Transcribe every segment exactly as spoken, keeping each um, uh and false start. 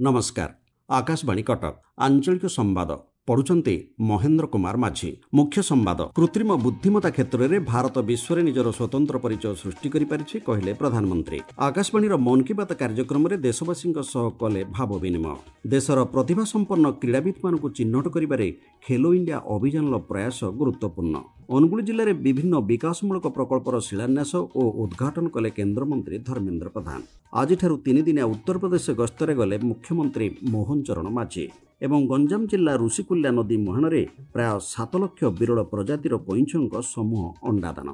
ନମସ୍କାର, ଆକାଶବାଣୀ କଟକ, ଆଞ୍ଚଳିକ ସମ୍ବାଦ ପଢୁଛନ୍ତି ମହେନ୍ଦ୍ର କୁମାର ମାଝୀ। ମୁଖ୍ୟ ସମ୍ବାଦ। କୃତ୍ରିମ ବୁଦ୍ଧିମତା କ୍ଷେତ୍ରରେ ଭାରତ ବିଶ୍ୱରେ ନିଜର ସ୍ୱତନ୍ତ୍ର ପରିଚୟ ସୃଷ୍ଟି କରିପାରିଛି, କହିଲେ ପ୍ରଧାନମନ୍ତ୍ରୀ। ଆକାଶବାଣୀର ମନ୍ କି ବାତ୍ କାର୍ଯ୍ୟକ୍ରମରେ ଦେଶବାସୀଙ୍କ ସହ କଲେ ଭାବ ବିନିମୟ। ଦେଶର ପ୍ରତିଭାସମ୍ପନ୍ନ କ୍ରୀଡ଼ାବିତ୍ମାନଙ୍କୁ ଚିହ୍ନଟ କରିବାରେ ଖେଲୋ ଇଣ୍ଡିଆ ଅଭିଯାନର ପ୍ରୟାସ ଗୁରୁତ୍ୱପୂର୍ଣ୍ଣ। ଅନୁଗୁଳ ଜିଲ୍ଲାରେ ବିଭିନ୍ନ ବିକାଶମୂଳକ ପ୍ରକଳ୍ପର ଶିଳାନ୍ୟାସ ଓ ଉଦ୍ଘାଟନ କଲେ କେନ୍ଦ୍ରମନ୍ତ୍ରୀ ଧର୍ମେନ୍ଦ୍ର ପ୍ରଧାନ। ଆଜିଠାରୁ ତିନିଦିନିଆ ଉତ୍ତରପ୍ରଦେଶ ଗସ୍ତରେ ଗଲେ ମୁଖ୍ୟମନ୍ତ୍ରୀ ମୋହନ ଚରଣ ମାଝୀ। ଏବଂ ଗଞ୍ଜାମ ଜିଲ୍ଲା ଋଷିକୁଲ୍ୟା ନଦୀ ମୁହାଣରେ ପ୍ରାୟ ସାତ ଲକ୍ଷ ବିରଳ ପ୍ରଜାତିର କଇଁଛଙ୍କ ସମୂହ ଅଣ୍ଡାଦାନ।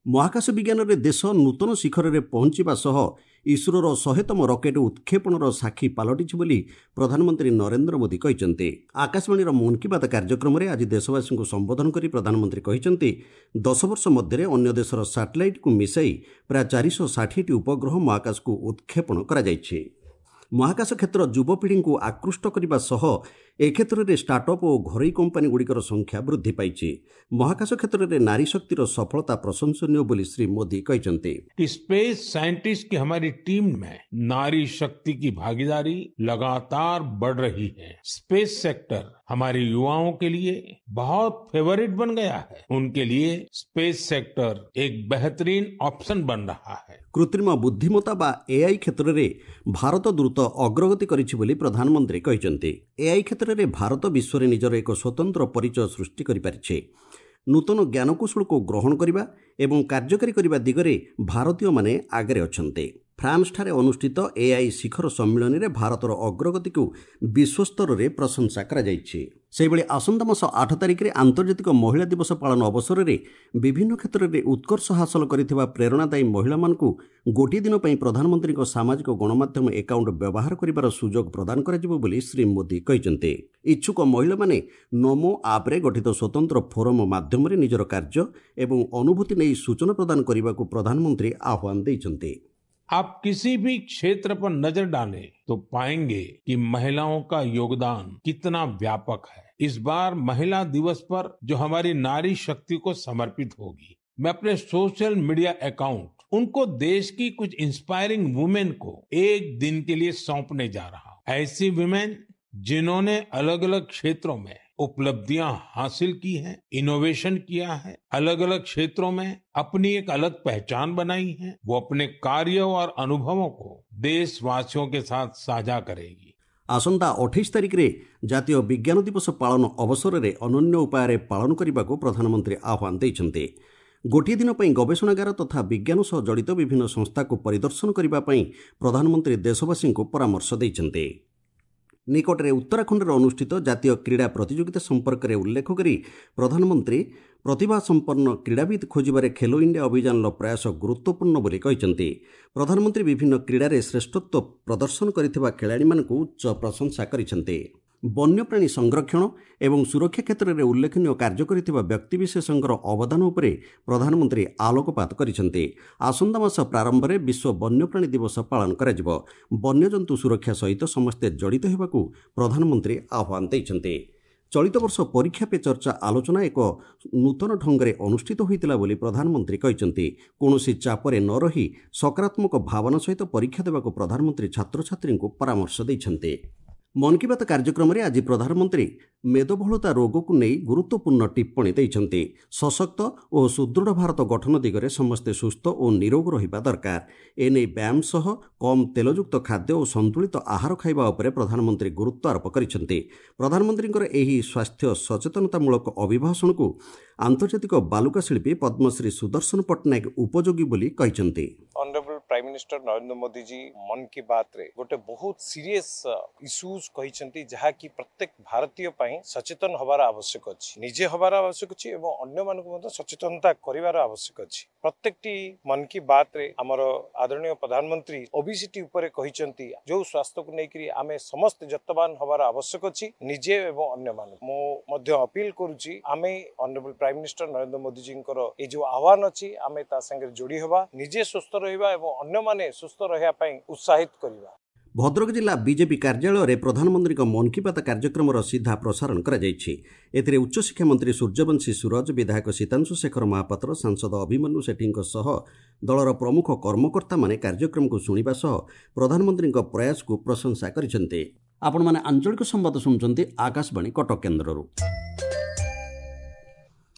ମହାକାଶ ବିଜ୍ଞାନରେ ଦେଶ ନୂତନ ଶିଖରରେ ପହଞ୍ଚିବା ସହ ଇସ୍ରୋର ଶହେତମ ରକେଟ୍ ଉତ୍କ୍ଷେପଣର ସାକ୍ଷୀ ପାଲଟିଛି ବୋଲି ପ୍ରଧାନମନ୍ତ୍ରୀ ନରେନ୍ଦ୍ର ମୋଦି କହିଛନ୍ତି। ଆକାଶବାଣୀର ମନ୍ କି ବାତ୍ କାର୍ଯ୍ୟକ୍ରମରେ ଆଜି ଦେଶବାସୀଙ୍କୁ ସମ୍ବୋଧନ କରି ପ୍ରଧାନମନ୍ତ୍ରୀ କହିଛନ୍ତି, ଦଶ ବର୍ଷ ମଧ୍ୟରେ ଅନ୍ୟ ଦେଶର ସାଟେଲାଇଟ୍କୁ ମିଶାଇ ପ୍ରାୟ ଚାରିଶହ ଷାଠିଏଟି ଉପଗ୍ରହ ମହାକାଶକୁ ଉତ୍କ୍ଷେପଣ କରାଯାଇଛି। ମହାକାଶ କ୍ଷେତ୍ର ଯୁବପିଢ଼ିଙ୍କୁ ଆକୃଷ୍ଟ କରିବା ସହ ଏ କ୍ଷେତ୍ରରେ ଷ୍ଟାର୍ଟଅପ୍ ଓ ଘରୋଇ କମ୍ପାନୀଗୁଡ଼ିକର ସଂଖ୍ୟା ବୃଦ୍ଧି ପାଇଛି। ମହାକାଶ କ୍ଷେତ୍ରରେ ନାରୀ ଶକ୍ତିର ସଫଳତା ପ୍ରଶଂସନୀୟ ବୋଲି ଶ୍ରୀ ମୋଦି କହିଛନ୍ତି। कि स्पेस साइंटिस्ट की हमारी टीम में नारी शक्ति की भागीदारी लगातार बढ़ रही है। स्पेस सेक्टर हमारे युवाओं के लिए बहुत फेवरेट बन गया है। उनके लिए स्पेस सेक्टर एक बेहतरीन ऑप्शन बन रहा है। କୃତ୍ରିମ ବୁଦ୍ଧିମତା ବା ଏଆଇ କ୍ଷେତ୍ରରେ ଭାରତ ଦ୍ରୁତ ଅଗ୍ରଗତି କରିଛି ବୋଲି ପ୍ରଧାନମନ୍ତ୍ରୀ କହିଛନ୍ତି। ଏଆଇ କ୍ଷେତ୍ରରେ ଭାରତ ବିଶ୍ୱରେ ନିଜର ଏକ ସ୍ୱତନ୍ତ୍ର ପରିଚୟ ସୃଷ୍ଟି କରିପାରିଛି। ନୂତନ ଜ୍ଞାନକୌଶଳକୁ ଗ୍ରହଣ କରିବା ଏବଂ କାର୍ଯ୍ୟକାରୀ କରିବା ଦିଗରେ ଭାରତୀୟମାନେ ଆଗରେ ଅଛନ୍ତି। ଫ୍ରାନ୍ସଠାରେ ଅନୁଷ୍ଠିତ ଏଆଇ ଶିଖର ସମ୍ମିଳନୀରେ ଭାରତର ଅଗ୍ରଗତିକୁ ବିଶ୍ୱସ୍ତରରେ ପ୍ରଶଂସା କରାଯାଇଛି। ସେହିଭଳି ଆସନ୍ତା ମାସ ଆଠ ତାରିଖରେ ଆନ୍ତର୍ଜାତିକ ମହିଳା ଦିବସ ପାଳନ ଅବସରରେ ବିଭିନ୍ନ କ୍ଷେତ୍ରରେ ଉତ୍କର୍ଷ ହାସଲ କରିଥିବା ପ୍ରେରଣାଦାୟୀ ମହିଳାମାନଙ୍କୁ ଗୋଟିଏ ଦିନ ପାଇଁ ପ୍ରଧାନମନ୍ତ୍ରୀଙ୍କ ସାମାଜିକ ଗଣମାଧ୍ୟମ ଆକାଉଣ୍ଟ ବ୍ୟବହାର କରିବାର ସୁଯୋଗ ପ୍ରଦାନ କରାଯିବ ବୋଲି ଶ୍ରୀ ମୋଦି କହିଛନ୍ତି। ଇଚ୍ଛୁକ ମହିଳାମାନେ ନମୋ ଆପ୍ରେ ଗଠିତ ସ୍ୱତନ୍ତ୍ର ଫୋରମ ମାଧ୍ୟମରେ ନିଜର କାର୍ଯ୍ୟ ଏବଂ ଅନୁଭୂତି ନେଇ ସୂଚନା ପ୍ରଦାନ କରିବାକୁ ପ୍ରଧାନମନ୍ତ୍ରୀ ଆହ୍ୱାନ ଦେଇଛନ୍ତି। आप किसी भी क्षेत्र पर नजर डालें तो पाएंगे कि महिलाओं का योगदान कितना व्यापक है। इस बार महिला दिवस पर जो हमारी नारी शक्ति को समर्पित होगी, मैं अपने सोशल मीडिया अकाउंट उनको देश की कुछ इंस्पायरिंग वुमेन को एक दिन के लिए सौंपने जा रहा हूं। ऐसी वुमेन जिन्होंने अलग अलग क्षेत्रों में उपलब्धियां हासिल की हैं, इनोवेशन किया है, अलग अलग क्षेत्रों में अपनी एक अलग पहचान बनाई है, वो अपने कार्यों और अनुभवों को देशवासियों के साथ साझा करेगी। ଆସନ୍ତା ଅଠେଇଶ ତାରିଖରେ ଜାତୀୟ ବିଜ୍ଞାନ ଦିବସ ପାଳନ ଅବସରରେ ଅନନ୍ୟ ଉପାୟରେ ପାଳନ କରିବାକୁ ପ୍ରଧାନମନ୍ତ୍ରୀ ଆହ୍ୱାନ ଦେଇଛନ୍ତି। ଗୋଟିଏ ଦିନ ପାଇଁ ଗବେଷଣାଗାର ତଥା ବିଜ୍ଞାନ ସହ ଜଡ଼ିତ ବିଭିନ୍ନ ସଂସ୍ଥାକୁ ପରିଦର୍ଶନ କରିବା ପାଇଁ ପ୍ରଧାନମନ୍ତ୍ରୀ ଦେଶବାସୀଙ୍କୁ ପରାମର୍ଶ ଦେଇଛନ୍ତି। ନିକଟରେ ଉତ୍ତରାଖଣ୍ଡରେ ଅନୁଷ୍ଠିତ ଜାତୀୟ କ୍ରୀଡ଼ା ପ୍ରତିଯୋଗିତା ସମ୍ପର୍କରେ ଉଲ୍ଲେଖ କରି ପ୍ରଧାନମନ୍ତ୍ରୀ ପ୍ରତିଭାସମ୍ପନ୍ନ କ୍ରୀଡ଼ାବିତ୍ ଖୋଜିବାରେ ଖେଲୋ ଇଣ୍ଡିଆ ଅଭିଯାନର ପ୍ରୟାସ ଗୁରୁତ୍ୱପୂର୍ଣ୍ଣ ବୋଲି କହିଛନ୍ତି। ପ୍ରଧାନମନ୍ତ୍ରୀ ବିଭିନ୍ନ କ୍ରୀଡ଼ାରେ ଶ୍ରେଷ୍ଠତ୍ୱ ପ୍ରଦର୍ଶନ କରିଥିବା ଖେଳାଳିମାନଙ୍କୁ ଉଚ୍ଚ ପ୍ରଶଂସା କରିଛନ୍ତି। ବନ୍ୟପ୍ରାଣୀ ସଂରକ୍ଷଣ ଏବଂ ସୁରକ୍ଷା କ୍ଷେତ୍ରରେ ଉଲ୍ଲେଖନୀୟ କାର୍ଯ୍ୟ କରିଥିବା ବ୍ୟକ୍ତିବିଶେଷଙ୍କର ଅବଦାନ ଉପରେ ପ୍ରଧାନମନ୍ତ୍ରୀ ଆଲୋକପାତ କରିଛନ୍ତି। ଆସନ୍ତା ମାସ ପ୍ରାରମ୍ଭରେ ବିଶ୍ୱ ବନ୍ୟପ୍ରାଣୀ ଦିବସ ପାଳନ କରାଯିବ। ବନ୍ୟଜନ୍ତୁ ସୁରକ୍ଷା ସହିତ ସମସ୍ତେ ଜଡ଼ିତ ହେବାକୁ ପ୍ରଧାନମନ୍ତ୍ରୀ ଆହ୍ୱାନ ଦେଇଛନ୍ତି। ଚଳିତ ବର୍ଷ ପରୀକ୍ଷା ପେ ଚର୍ଚ୍ଚା ଆଲୋଚନା ଏକ ନୂତନ ଢଙ୍ଗରେ ଅନୁଷ୍ଠିତ ହୋଇଥିଲା ବୋଲି ପ୍ରଧାନମନ୍ତ୍ରୀ କହିଛନ୍ତି। କୌଣସି ଚାପରେ ନ ରହି ସକାରାତ୍ମକ ଭାବନା ସହିତ ପରୀକ୍ଷା ଦେବାକୁ ପ୍ରଧାନମନ୍ତ୍ରୀ ଛାତ୍ରଛାତ୍ରୀଙ୍କୁ ପରାମର୍ଶ ଦେଇଛନ୍ତି। ମନ୍ କି ବାତ୍ କାର୍ଯ୍ୟକ୍ରମରେ ଆଜି ପ୍ରଧାନମନ୍ତ୍ରୀ ମେଦବହୁଳତା ରୋଗକୁ ନେଇ ଗୁରୁତ୍ୱପୂର୍ଣ୍ଣ ଟିପ୍ପଣୀ ଦେଇଛନ୍ତି। ସଶକ୍ତ ଓ ସୁଦୃଢ଼ ଭାରତ ଗଠନ ଦିଗରେ ସମସ୍ତେ ସୁସ୍ଥ ଓ ନିରୋଗ ରହିବା ଦରକାର। ଏନେଇ ବ୍ୟାୟାମ ସହ କମ୍ ତେଲଯୁକ୍ତ ଖାଦ୍ୟ ଓ ସନ୍ତୁଳିତ ଆହାର ଖାଇବା ଉପରେ ପ୍ରଧାନମନ୍ତ୍ରୀ ଗୁରୁତ୍ୱ ଆରୋପ କରିଛନ୍ତି। ପ୍ରଧାନମନ୍ତ୍ରୀଙ୍କର ଏହି ସ୍ୱାସ୍ଥ୍ୟ ସଚେତନତାମୂଳକ ଅଭିଭାଷଣକୁ ଆନ୍ତର୍ଜାତିକ ବାଲୁକା ଶିଳ୍ପୀ ପଦ୍ମଶ୍ରୀ ସୁଦର୍ଶନ ପଟ୍ଟନାୟକ ଉପଯୋଗୀ ବୋଲି କହିଛନ୍ତି। Honourable Prime Minister Narendra Modi ji ମନ୍ କି ବାତ୍ରେ ଗୋଟେ ବହୁତ ସିରିୟସ୍ ଇସ୍ୟୁଜ କହିଛନ୍ତି, ଯାହାକି ପ୍ରତ୍ୟେକ ଭାରତୀୟ ପାଇଁ ସଚେତନ ହବାର ଆବଶ୍ୟକ ଅଛି, ନିଜେ ହବାର ଆବଶ୍ୟକ ଅଛି ଏବଂ ଅନ୍ୟମାନଙ୍କୁ ମଧ୍ୟ ସଚେତନତା କରିବାର ଆବଶ୍ୟକ ଅଛି। ପ୍ରତ୍ୟେକଟି ମନ୍ କି ବାତ୍ରେ ଆମର ଆଦରଣୀୟ ପ୍ରଧାନମନ୍ତ୍ରୀ ଓବିସିଟି ଉପରେ କହିଛନ୍ତି, ଯୋଉ ସ୍ୱାସ୍ଥ୍ୟକୁ ନେଇକରି ଆମେ ସମସ୍ତେ ଯତ୍ନବାନ ହବାର ଆବଶ୍ୟକ ଅଛି, ନିଜେ ଏବଂ ଅନ୍ୟମାନଙ୍କୁ। ମୁଁ ମଧ୍ୟ ଅପିଲ କରୁଛି, ଆମେ ଅନରେବଲ ପ୍ରାଇମ ମିନିଷ୍ଟର ନରେନ୍ଦ୍ର ମୋଦିଜୀଙ୍କର ଏଇ ଯୋଉ ଆହ୍ୱାନ ଅଛି ଆମେ ତା ସାଙ୍ଗରେ ଯୋଡ଼ି ହେବା, ନିଜେ ସୁସ୍ଥ ରହିବା ଏବଂ ଅନ୍ୟମାନେ ସୁସ୍ଥ ରହିବା ପାଇଁ ଉତ୍ସାହିତ କରିବା। ଭଦ୍ରକ ଜିଲ୍ଲା ବିଜେପି କାର୍ଯ୍ୟାଳୟରେ ପ୍ରଧାନମନ୍ତ୍ରୀଙ୍କ ମନ୍ କି ବାତ୍ କାର୍ଯ୍ୟକ୍ରମର ସିଧା ପ୍ରସାରଣ କରାଯାଇଛି। ଏଥିରେ ଉଚ୍ଚଶିକ୍ଷା ମନ୍ତ୍ରୀ ସୂର୍ଯ୍ୟବଂଶୀ ସୂରଜ, ବିଧାୟକ ସୀତାଂଶୁ ଶେଖର ମହାପାତ୍ର, ସାଂସଦ ଅଭିମନ୍ୟୁ ସେଠୀଙ୍କ ସହ ଦଳର ପ୍ରମୁଖ କର୍ମକର୍ତ୍ତାମାନେ କାର୍ଯ୍ୟକ୍ରମକୁ ଶୁଣିବା ସହ ପ୍ରଧାନମନ୍ତ୍ରୀଙ୍କ ପ୍ରୟାସକୁ ପ୍ରଶଂସା କରିଛନ୍ତି। ଆପଣମାନେ ଆଞ୍ଚଳିକ ସମ୍ବାଦ ଶୁଣୁଛନ୍ତି ଆକାଶବାଣୀ କଟକ କେନ୍ଦ୍ରରୁ।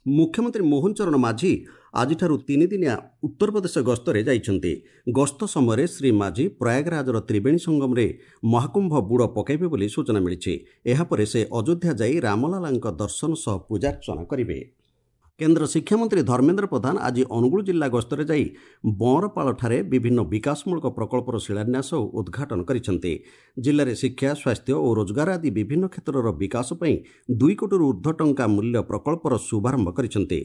ମୁଖ୍ୟମନ୍ତ୍ରୀ ମୋହନ ଚରଣ ମାଝୀ ଆଜିଠାରୁ ତିନିଦିନିଆ ଉତ୍ତରପ୍ରଦେଶ ଗସ୍ତରେ ଯାଇଛନ୍ତି। ଗସ୍ତ ସମୟରେ ଶ୍ରୀ ମାଝୀ ପ୍ରୟାଗରାଜର ତ୍ରିବେଣୀ ସଙ୍ଗମରେ ମହାକୁମ୍ଭ ବୁଡ଼ ପକାଇବେ ବୋଲି ସୂଚନା ମିଳିଛି। ଏହାପରେ ସେ ଅଯୋଧ୍ୟା ଯାଇ ରାମଲାଲାଙ୍କ ଦର୍ଶନ ସହ ପୂଜାର୍ଚ୍ଚନା କରିବେ। କେନ୍ଦ୍ର ଶିକ୍ଷାମନ୍ତ୍ରୀ ଧର୍ମେନ୍ଦ୍ର ପ୍ରଧାନ ଆଜି ଅନୁଗୁଳ ଜିଲ୍ଲା ଗସ୍ତରେ ଯାଇ ବଅଁରପାଳଠାରେ ବିଭିନ୍ନ ବିକାଶମୂଳକ ପ୍ରକଳ୍ପର ଶିଳାନ୍ୟାସ ଓ ଉଦ୍ଘାଟନ କରିଛନ୍ତି। ଜିଲ୍ଲାରେ ଶିକ୍ଷା, ସ୍ୱାସ୍ଥ୍ୟ ଓ ରୋଜଗାର ଆଦି ବିଭିନ୍ନ କ୍ଷେତ୍ରର ବିକାଶ ପାଇଁ ଦୁଇ କୋଟିରୁ ଉର୍ଦ୍ଧ୍ୱ ଟଙ୍କା ମୂଲ୍ୟ ପ୍ରକଳ୍ପର ଶୁଭାରମ୍ଭ କରିଛନ୍ତି।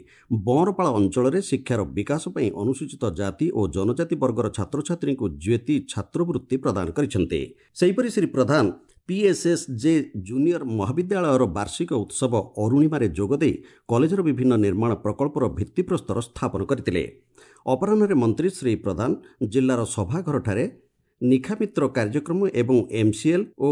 ବଅଁରପାଳ ଅଞ୍ଚଳରେ ଶିକ୍ଷାର ବିକାଶ ପାଇଁ ଅନୁସୂଚିତ ଜାତି ଓ ଜନଜାତି ବର୍ଗର ଛାତ୍ରଛାତ୍ରୀଙ୍କୁ ଜ୍ୟୋତି ଛାତ୍ରବୃତ୍ତି ପ୍ରଦାନ କରିଛନ୍ତି। ସେହିପରି ଶ୍ରୀ ପ୍ରଧାନ ପିଏସ୍ଏସ୍ଜେ ଜୁନିୟର ମହାବିଦ୍ୟାଳୟର ବାର୍ଷିକ ଉତ୍ସବ ଅରୁଣିମାରେ ଯୋଗଦେଇ କଲେଜର ବିଭିନ୍ନ ନିର୍ମାଣ ପ୍ରକଳ୍ପର ଭିତ୍ତିପ୍ରସ୍ତର ସ୍ଥାପନ କରିଥିଲେ। ଅପରାହ୍ନରେ ମନ୍ତ୍ରୀ ଶ୍ରୀ ପ୍ରଧାନ ଜିଲ୍ଲାର ସଭାଘରଠାରେ ନିଖାମିତ୍ର କାର୍ଯ୍ୟକ୍ରମ ଏବଂ ଏମ୍ସିଏଲ୍ ଓ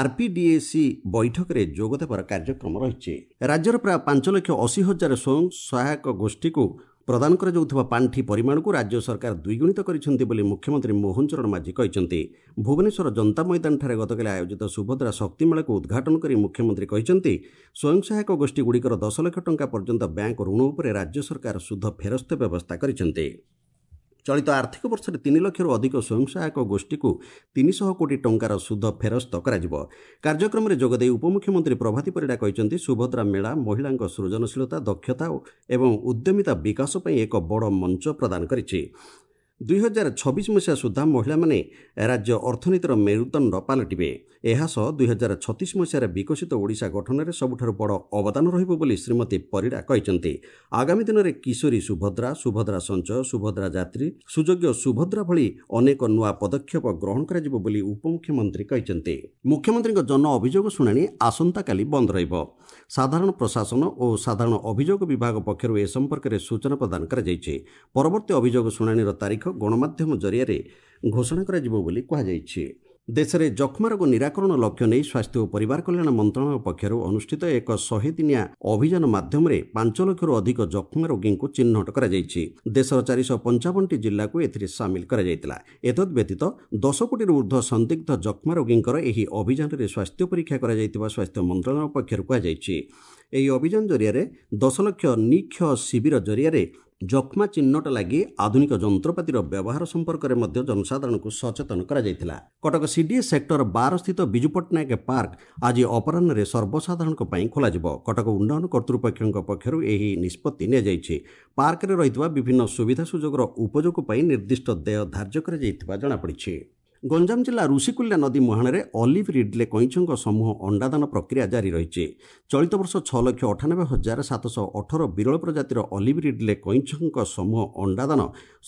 ଆର୍ପିଡିଏସି ବୈଠକରେ ଯୋଗ ଦେବାର କାର୍ଯ୍ୟକ୍ରମ ରହିଛି। ରାଜ୍ୟର ପ୍ରାୟ ପାଞ୍ଚ ଲକ୍ଷ ଅଶୀ ହଜାର ସ୍ୱୟଂ ସହାୟକ ଗୋଷ୍ଠୀକୁ ପ୍ରଦାନ କରାଯାଉଥିବା ପାଣ୍ଠି ପରିମାଣକୁ ରାଜ୍ୟ ସରକାର ଦ୍ୱିଗୁଣିତ କରିଛନ୍ତି ବୋଲି ମୁଖ୍ୟମନ୍ତ୍ରୀ ମୋହନ ଚରଣ ମାଝୀ କହିଛନ୍ତି। ଭୁବନେଶ୍ୱର ଜନତା ମଇଦାନଠାରେ ଗତକାଲି ଆୟୋଜିତ ସୁଭଦ୍ରା ଶକ୍ତି ମେଳାକୁ ଉଦ୍ଘାଟନ କରି ମୁଖ୍ୟମନ୍ତ୍ରୀ କହିଛନ୍ତି, ସ୍ୱୟଂ ସହାୟକ ଗୋଷ୍ଠୀଗୁଡ଼ିକର ଦଶ ଲକ୍ଷ ଟଙ୍କା ପର୍ଯ୍ୟନ୍ତ ବ୍ୟାଙ୍କ ଋଣ ଉପରେ ରାଜ୍ୟ ସରକାର ସୁଧ ଫେରସ୍ତ ବ୍ୟବସ୍ଥା କରିଛନ୍ତି। ଚଳିତ ଆର୍ଥିକ ବର୍ଷରେ ତିନି ଲକ୍ଷରୁ ଅଧିକ ସ୍ୱୟଂ ସହାୟକ ଗୋଷ୍ଠୀକୁ ତିନିଶହ କୋଟି ଟଙ୍କାର ସୁଧ ଫେରସ୍ତ କରାଯିବ। କାର୍ଯ୍ୟକ୍ରମରେ ଯୋଗଦେଇ ଉପମୁଖ୍ୟମନ୍ତ୍ରୀ ପ୍ରଭାତୀ ପରିଡ଼ା କହିଛନ୍ତି, ସୁଭଦ୍ରା ମେଳା ମହିଳାଙ୍କ ସୃଜନଶୀଳତା, ଦକ୍ଷତା ଏବଂ ଉଦ୍ୟମିତା ବିକାଶ ପାଇଁ ଏକ ବଡ଼ ମଞ୍ଚ ପ୍ରଦାନ କରିଛି। ଦୁଇ ହଜାର ଛବିଶ ମସିହା ସୁଦ୍ଧା ମହିଳାମାନେ ରାଜ୍ୟ ଅର୍ଥନୀତିର ମେରୁଦଣ୍ଡ ପାଲଟିବେ। ଏହାସହ ଦୁଇ ହଜାର ଛତିଶ ମସିହାରେ ବିକଶିତ ଓଡ଼ିଶା ଗଠନରେ ସବୁଠାରୁ ବଡ଼ ଅବଦାନ ରହିବ ବୋଲି ଶ୍ରୀମତୀ ପରିଡ଼ା କହିଛନ୍ତି। ଆଗାମୀ ଦିନରେ କିଶୋରୀ ସୁଭଦ୍ରା, ସୁଭଦ୍ରା ସଞ୍ଚୟ, ସୁଭଦ୍ରା ଯାତ୍ରୀ, ସୁଯୋଗ୍ୟ ସୁଭଦ୍ରା ଭଳି ଅନେକ ନୂଆ ପଦକ୍ଷେପ ଗ୍ରହଣ କରାଯିବ ବୋଲି ଉପମୁଖ୍ୟମନ୍ତ୍ରୀ କହିଛନ୍ତି। ମୁଖ୍ୟମନ୍ତ୍ରୀଙ୍କ ଜନ ଅଭିଯୋଗ ଶୁଣାଣି ଆସନ୍ତାକାଲି ବନ୍ଦ ରହିବ। ସାଧାରଣ ପ୍ରଶାସନ ଓ ସାଧାରଣ ଅଭିଯୋଗ ବିଭାଗ ପକ୍ଷରୁ ଏ ସମ୍ପର୍କରେ ସୂଚନା ପ୍ରଦାନ କରାଯାଇଛି। ପରବର୍ତ୍ତୀ ଅଭିଯୋଗ ଶୁଣାଣିର ତାରିଖ ଗଣମାଧ୍ୟମ ଜରିଆରେ ଘୋଷଣା କରାଯିବ ବୋଲି କୁହାଯାଇଛି। ଦେଶରେ ଯକ୍ଷ୍ମା ରୋଗ ନିରାକରଣ ଲକ୍ଷ୍ୟ ନେଇ ସ୍ୱାସ୍ଥ୍ୟ ଓ ପରିବାର କଲ୍ୟାଣ ମନ୍ତ୍ରଣାଳୟ ପକ୍ଷରୁ ଅନୁଷ୍ଠିତ ଏକ ଶହେ ଦିନିଆ ଅଭିଯାନ ମାଧ୍ୟମରେ ପାଞ୍ଚ ଲକ୍ଷରୁ ଅଧିକ ଯକ୍ଷ୍ମା ରୋଗୀଙ୍କୁ ଚିହ୍ନଟ କରାଯାଇଛି। ଦେଶର ଚାରିଶହ ପଞ୍ଚାବନଟି ଜିଲ୍ଲାକୁ ଏଥିରେ ସାମିଲ କରାଯାଇଥିଲା। ଏତଦ୍ ବ୍ୟତୀତ ଦଶ କୋଟିରୁ ଉର୍ଦ୍ଧ୍ୱ ସନ୍ଦିଗ୍ଧ ଯକ୍ଷ୍ମା ରୋଗୀଙ୍କର ଏହି ଅଭିଯାନରେ ସ୍ୱାସ୍ଥ୍ୟ ପରୀକ୍ଷା କରାଯାଇଥିବା ସ୍ୱାସ୍ଥ୍ୟ ମନ୍ତ୍ରଣାଳୟ ପକ୍ଷରୁ କୁହାଯାଇଛି। ଏହି ଅଭିଯାନ ଜରିଆରେ ଦଶ ଲକ୍ଷ ନିକ୍ଷୟ ଶିବିର ଜରିଆରେ ଯକ୍ଷ୍ମା ଚିହ୍ନଟ ଲାଗି ଆଧୁନିକ ଯନ୍ତ୍ରପାତିର ବ୍ୟବହାର ସମ୍ପର୍କରେ ମଧ୍ୟ ଜନସାଧାରଣଙ୍କୁ ସଚେତନ କରାଯାଇଥିଲା। କଟକ ସିଡିଏ ସେକ୍ଟର ବାର ସ୍ଥିତ ବିଜୁ ପଟ୍ଟନାୟକ ପାର୍କ ଆଜି ଅପରାହ୍ନରେ ସର୍ବସାଧାରଣଙ୍କ ପାଇଁ ଖୋଲାଯିବ। କଟକ ଉନ୍ନୟନ କର୍ତ୍ତୃପକ୍ଷଙ୍କ ପକ୍ଷରୁ ଏହି ନିଷ୍ପତ୍ତି ନିଆଯାଇଛି। ପାର୍କରେ ରହିଥିବା ବିଭିନ୍ନ ସୁବିଧା ସୁଯୋଗର ଉପଯୋଗ ପାଇଁ ନିର୍ଦ୍ଦିଷ୍ଟ ଦେୟ ଧାର୍ଯ୍ୟ କରାଯାଇଥିବା ଜଣାପଡ଼ିଛି। ଗଞ୍ଜାମ ଜିଲ୍ଲା ଋଷିକୁଲ୍ୟା ନଦୀ ମୁହାଣରେ ଅଲିଭ୍ ରିଡ୍ଲେ କଇଁଛଙ୍କ ସମୂହ ଅଣ୍ଡାଦାନ ପ୍ରକ୍ରିୟା ଜାରି ରହିଛି। ଚଳିତ ବର୍ଷ ଛଅ ଲକ୍ଷ ଅଠାନବେ ହଜାର ସାତଶହ ଅଠର ବିରଳ ପ୍ରଜାତିର ଅଲିଭ୍ ରିଡ୍ଲେ କଇଁଛଙ୍କ ସମୂହ ଅଣ୍ଡାଦାନ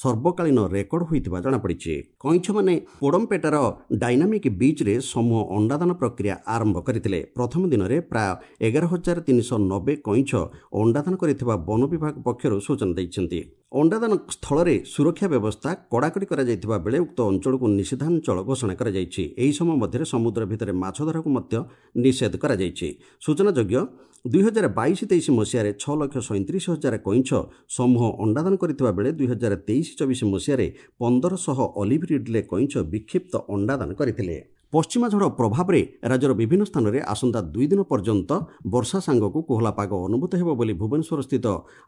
ସର୍ବକାଳୀନ ରେକର୍ଡ ହୋଇଥିବା ଜଣାପଡ଼ିଛି। କଇଁଛମାନେ ପୋଡ଼ମପେଟାର ଡାଇନାମିକ୍ ବିଚ୍ରେ ସମୂହ ଅଣ୍ଡାଦାନ ପ୍ରକ୍ରିୟା ଆରମ୍ଭ କରିଥିଲେ। ପ୍ରଥମ ଦିନରେ ପ୍ରାୟ ଏଗାର ହଜାର ତିନିଶହ ନବେ କଇଁଛ ଅଣ୍ଡାଦାନ କରିଥିବା ବନ ବିଭାଗ ପକ୍ଷରୁ ସୂଚନା ଦେଇଛନ୍ତି। ଅଣ୍ଡାଦାନ ସ୍ଥଳରେ ସୁରକ୍ଷା ବ୍ୟବସ୍ଥା କଡ଼ାକଡ଼ି କରାଯାଇଥିବା ବେଳେ ଉକ୍ତ ଅଞ୍ଚଳକୁ ନିଷିଦ୍ଧାଞ୍ଚଳ ଘୋଷଣା କରାଯାଇଛି। ଏହି ସମୟ ମଧ୍ୟରେ ସମୁଦ୍ର ଭିତରେ ମାଛଧରାକୁ ମଧ୍ୟ ନିଷେଧ କରାଯାଇଛି। ସୂଚନାଯୋଗ୍ୟ, ଦୁଇ ହଜାର ବାଇଶ ତେଇଶ ମସିହାରେ ଛଅ ଲକ୍ଷ ସଇଁତିରିଶ ହଜାର କଇଁଛ ସମୂହ ଅଣ୍ଡାଦାନ କରିଥିବା ବେଳେ ଦୁଇ ହଜାର ତେଇଶ ଚବିଶ ମସିହାରେ ପନ୍ଦରଶହ ଅଲିଭ୍ ରିଡ୍ଲେ କଇଁଛ ବିକ୍ଷିପ୍ତ ଅଣ୍ଡାଦାନ କରିଥିଲେ। ପଶ୍ଚିମା ଝଡ଼ ପ୍ରଭାବରେ ରାଜ୍ୟର ବିଭିନ୍ନ ସ୍ଥାନରେ ଆସନ୍ତା ଦୁଇ ଦିନ ପର୍ଯ୍ୟନ୍ତ ବର୍ଷା ସାଙ୍ଗକୁ କୋହଲା ପାଗ ଅନୁଭୂତ ହେବ ବୋଲି ଭୁବନେଶ୍ୱରସ୍ଥିତ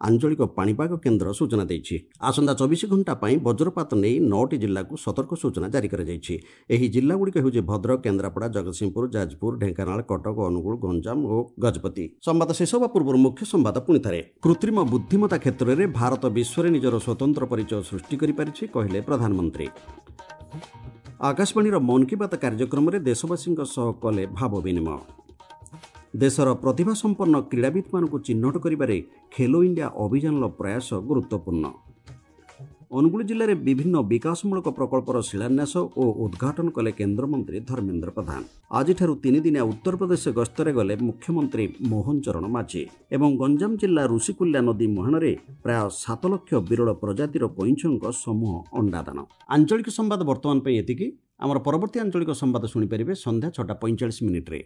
ଆଞ୍ଚଳିକ ପାଣିପାଗ କେନ୍ଦ୍ର ସୂଚନା ଦେଇଛି। ଆସନ୍ତା ଚବିଶ ଘଣ୍ଟା ପାଇଁ ବଜ୍ରପାତ ନେଇ ନଅଟି ଜିଲ୍ଲାକୁ ସତର୍କ ସୂଚନା ଜାରି କରାଯାଇଛି। ଏହି ଜିଲ୍ଲାଗୁଡ଼ିକ ହେଉଛି ଭଦ୍ରକ, କେନ୍ଦ୍ରାପଡ଼ା, ଜଗତସିଂହପୁର, ଯାଜପୁର, ଢେଙ୍କାନାଳ, କଟକ, ଅନୁଗୁଳ, ଗଞ୍ଜାମ ଓ ଗଜପତି। ସମ୍ବାଦ ଶେଷ ହେବା ପୂର୍ବରୁ ମୁଖ୍ୟ ସମ୍ବାଦ ପୁଣି ଥରେ। କୃତ୍ରିମ ବୁଦ୍ଧିମତା କ୍ଷେତ୍ରରେ ଭାରତ ବିଶ୍ୱରେ ନିଜର ସ୍ୱତନ୍ତ୍ର ପରିଚୟ ସୃଷ୍ଟି କରିପାରିଛି, କହିଲେ ପ୍ରଧାନମନ୍ତ୍ରୀ। ଆକାଶବାଣୀର ମନ୍ କି ବାତ୍ କାର୍ଯ୍ୟକ୍ରମରେ ଦେଶବାସୀଙ୍କ ସହ କଲେ ଭାବ ବିନିମୟ। ଦେଶର ପ୍ରତିଭାସମ୍ପନ୍ନ କ୍ରୀଡ଼ାବିତ୍ମାନଙ୍କୁ ଚିହ୍ନଟ କରିବାରେ ଖେଲୋ ଇଣ୍ଡିଆ ଅଭିଯାନର ପ୍ରୟାସ ଗୁରୁତ୍ୱପୂର୍ଣ୍ଣ। ଅନୁଗୁଳ ଜିଲ୍ଲାରେ ବିଭିନ୍ନ ବିକାଶମୂଳକ ପ୍ରକଳ୍ପର ଶିଳାନ୍ୟାସ ଓ ଉଦ୍ଘାଟନ କଲେ କେନ୍ଦ୍ରମନ୍ତ୍ରୀ ଧର୍ମେନ୍ଦ୍ର ପ୍ରଧାନ। ଆଜିଠାରୁ ତିନିଦିନିଆ ଉତ୍ତରପ୍ରଦେଶ ଗସ୍ତରେ ଗଲେ ମୁଖ୍ୟମନ୍ତ୍ରୀ ମୋହନ ଚରଣ ମାଝୀ। ଏବଂ ଗଞ୍ଜାମ ଜିଲ୍ଲା ଋଷିକୁଲ୍ୟା ନଦୀ ମୁହାଣରେ ପ୍ରାୟ ସାତ ଲକ୍ଷ ବିରଳ ପ୍ରଜାତିର କଇଁଛଙ୍କ ସମୂହ ଅଣ୍ଡାଦାନ। ଆଞ୍ଚଳିକ ସମ୍ବାଦ ବର୍ତ୍ତମାନ ପାଇଁ ଏତିକି। ଆମର ପରବର୍ତ୍ତୀ ଆଞ୍ଚଳିକ ସମ୍ବାଦ ଶୁଣିପାରିବେ ସନ୍ଧ୍ୟା ଛଅଟା ପଇଁଚାଳିଶ ମିନିଟ୍ରେ।